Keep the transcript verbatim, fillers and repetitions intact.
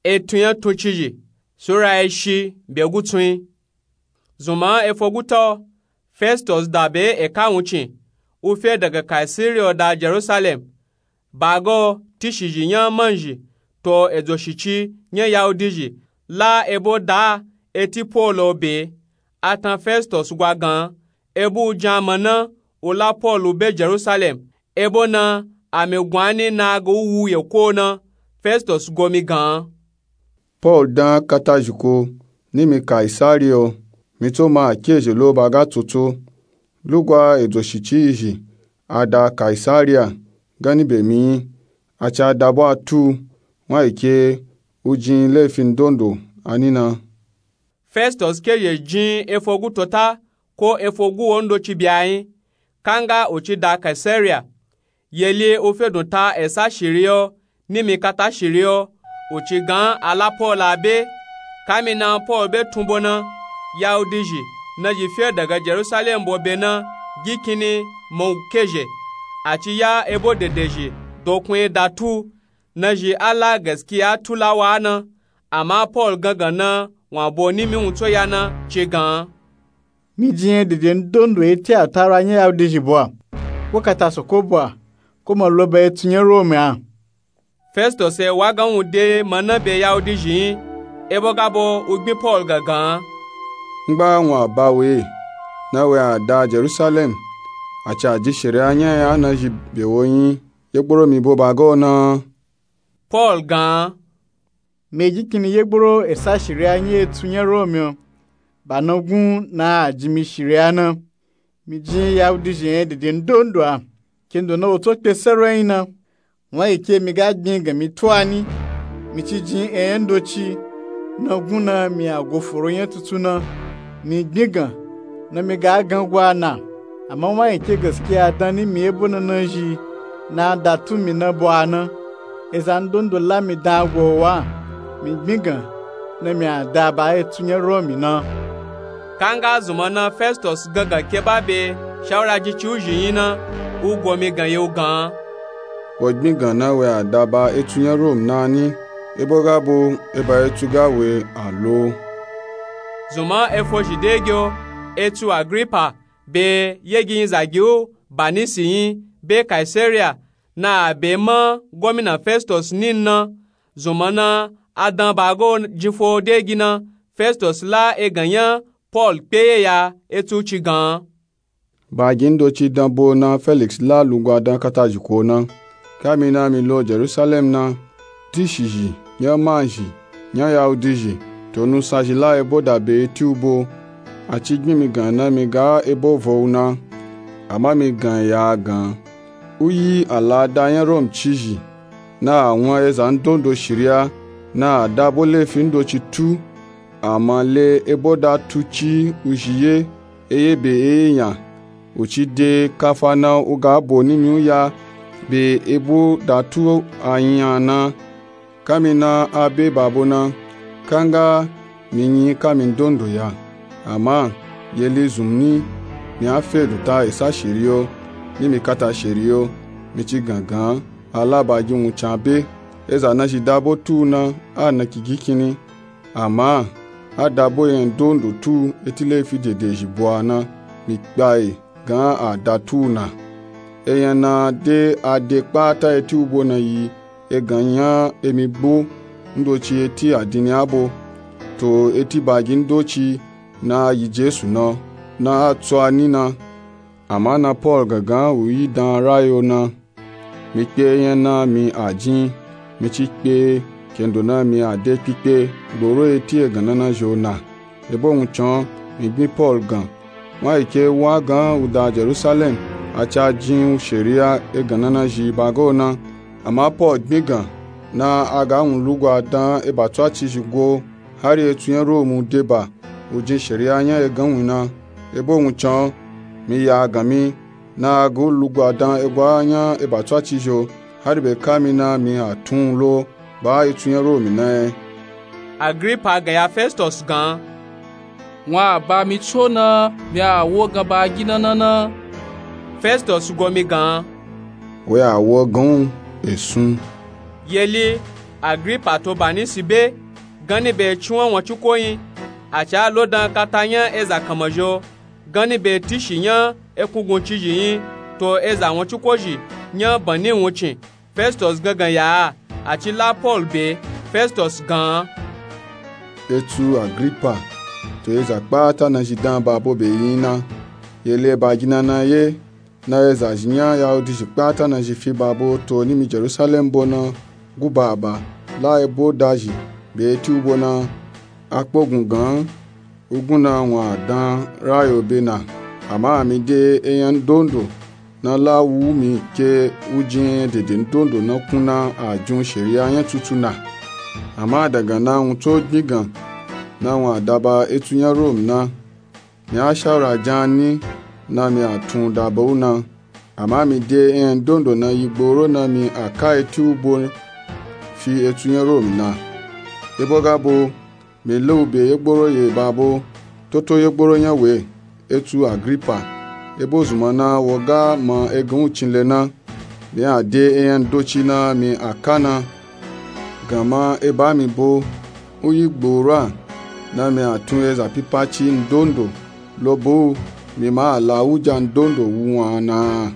Etun nya tuncizhi sura eshi be gutsun. Zunman efoguta festus da be eka wuncin u fe daga kaisariya da jerusalem. Baga tishizhi nya manzhi to edzoshici nya yahudizhi la ebo da eti paul be. A tan festus gwa gan ebo u jan mana u la paul be jerusalem. Ebo na ami gwani na ga u wu yeko na. Festus gomi gan. Paul dan katazhiko ni mi kaisariya. Mi tso ma a kezhe lo ba ga tsotso lugwa edzoshici izhi a da kaisariya gani be mi yi. A ci a da bo a tu wan ike u jin lefin dondo a ni na. Festus kezhe jin efogu tota ko efogu wo ndoci byayi kanga u ci da kaisariya. Yeli u fedun ta esa shiriyo ni mi kata shiriyo u ci gan a la paul a be. Kami na paul be tun bo na yahudizhi nazhi fe daga jerusalem bo be na gi kini mau kezhe. A ci ya ebo dedezhi dokun da tu nazhi a la gaskiya tu la wa na. Ama paul gangan na wan bo ni mi wun tso ya na ci gan. Mi jin yen dede ndondo eti a tara nya yahudizhi bo a ko kata soko bo a ko ma lo ba etun nya romi a. Festus e wa gan wun de mana be yahudizhi yi ebo ga bo u gbin paul gangan. Ngba wun a ba we na we a da jerusalem a ci a jin shiriya nya ya nazhi be wo yi yegboro mi bo ba ga o na. Paul gan. Mi gi kini yegboro esa shiriya nya etun nya romi o ba na gun na a jin mi shiriya na. Mi jin yahudizhi yen dede ndondo a kendo na wo tso kpe sero yin na. Wan ike mi ga gbin gan mi tu a ni mi ci jin enya ndoci na gun na mi a go foro nya tutu na. Mi gbin gan na mi ga gan gwa na. Ama wan ike gaskiya dan ni mi ebo na nazhi na a da tu mi na bo a na. Eza ndondo la mi dan gwa o wa mi gbin gan na mi a da ba etun nya romi na. Kanga zunman na festus gangan ke ba be shawura jin ci u zhi yi na u gomi gan ye u gan. Wo gbin gan na we a da ba etun nya romi na ni ebo ga bo eba etun ga we a lo. Zunman efozhi degi o etun agripa be yegiyin zagi u banisi yi be kaisariya na a be ma gomina festus ni na. Zunman na a dan ba ga o jin fo degi na festus la egan nya paul kpe ye ya etun ci gan. Ba gi ndoci dan bo na feliks la lugwa dan katazhiko na. Kami na mi lo jerusalem na tishizhi nya manzhi nya yahudizhi to nusanzhi la ebo da be eti u bo. A ci gbin mi gan na mi ga ebo vo u na. Ama mi gan ya a gan u yi a la da nya romi cizhi na a wan eza ndondo shiriya na a da bo lefin ndoci tu. Ama le ebo da tu ci u zhi ye eye be eye nya u ci de kafa na u ga bo ni mi u ya be ebo da tu a nya na. Kami na a be ba bo na kanga mi yin kami ndondo ya. Ama yeli zunmi mi a fe dun ta esa shiriyo ni mi kata shiriyo mi ci gangan a la ba gi wun can be. Eza nazhi da bo tu na a na ki gi kini. Ama a da bo yen ndondo tu eti lefi dedezhi bo a na mi kpa e gan a da tu na. Eyan na de a de kpata eti u bo na yi egan nya emi bo ndoci eti adini a bo to eti ba gi ndoci na a yi jesu na na a tso a ni na. Ama na paul gangan u yi dan a rayo na mi kpe eyan na mi a jin mi ci kpe kendo na mi a de kpikpe gboro eti egan nanazhi o na. Ebo wun can mi gbin paul gan wan ike wa gan u da jerusalem a ci a jin u shiriya egan nanazhi ba ga o na. Ama paul gbin gan na a ga wun lugwa dan eba tso a cizhi go hari etun nya romi u de ba u jin shiriya nya egan wun na. Ebo wun can mi ya a gan mi na a ga u lugwa dan egwa nya eba tso a cizhi o hari be kami na mi a tun u lo ba etun nya romi na yen. Agripa gan ya festus gan. Wan a ba mi tso na mi a wo gan ba gi na na na. Festus gomi gan. We a wo gan u esun. Yeli Agripa to Banisi be ganni be eciwan won ciko nyi, a ca lo dan kata nya eza kanmazho ganni be tishi nya ekunguncizhi nyi to eza won cikozhi nya banni wuncin. Festus gangan ya a, a ci la Pol be. Festus gan an. Etsu Agripa to eza kpata nazhi dan babo be yi na. Ye le ba gina na ye na eza zhi nya Yahudizhi kpata nazhi fi babo to nimi Jerusalem bo na guba aba, la ebo dazhi be eti ubo na. A kpogun gan an, ugun na wun a dan rayo be na. Ama mi de eyan ndondo na la wu mi ke wujin dede ndondo na kun na a jun sheriya nya tutu na. Ama dagan na wun to gbin gan na wun a daba etu nya Rom na. Mi a shawura jan ni na mi a tun daba u na. Ama mi de eyan ndondo na yi gboro na mi a ka eti ubo fi etu nya Rom na. Ebo ga bo mi le u be ye gboro ye babo, toto ye gboro nya we, etsu Agripa, ebo zunma na wo ga ma egan wuncin le na. Mi a de eyan ndoci na mi a ka na. Gan ma eba mi bo u yi gboro a na mi a tun eza pipaci ndondo lo bo u, mi ma a la wuja ndondo wu wun a na.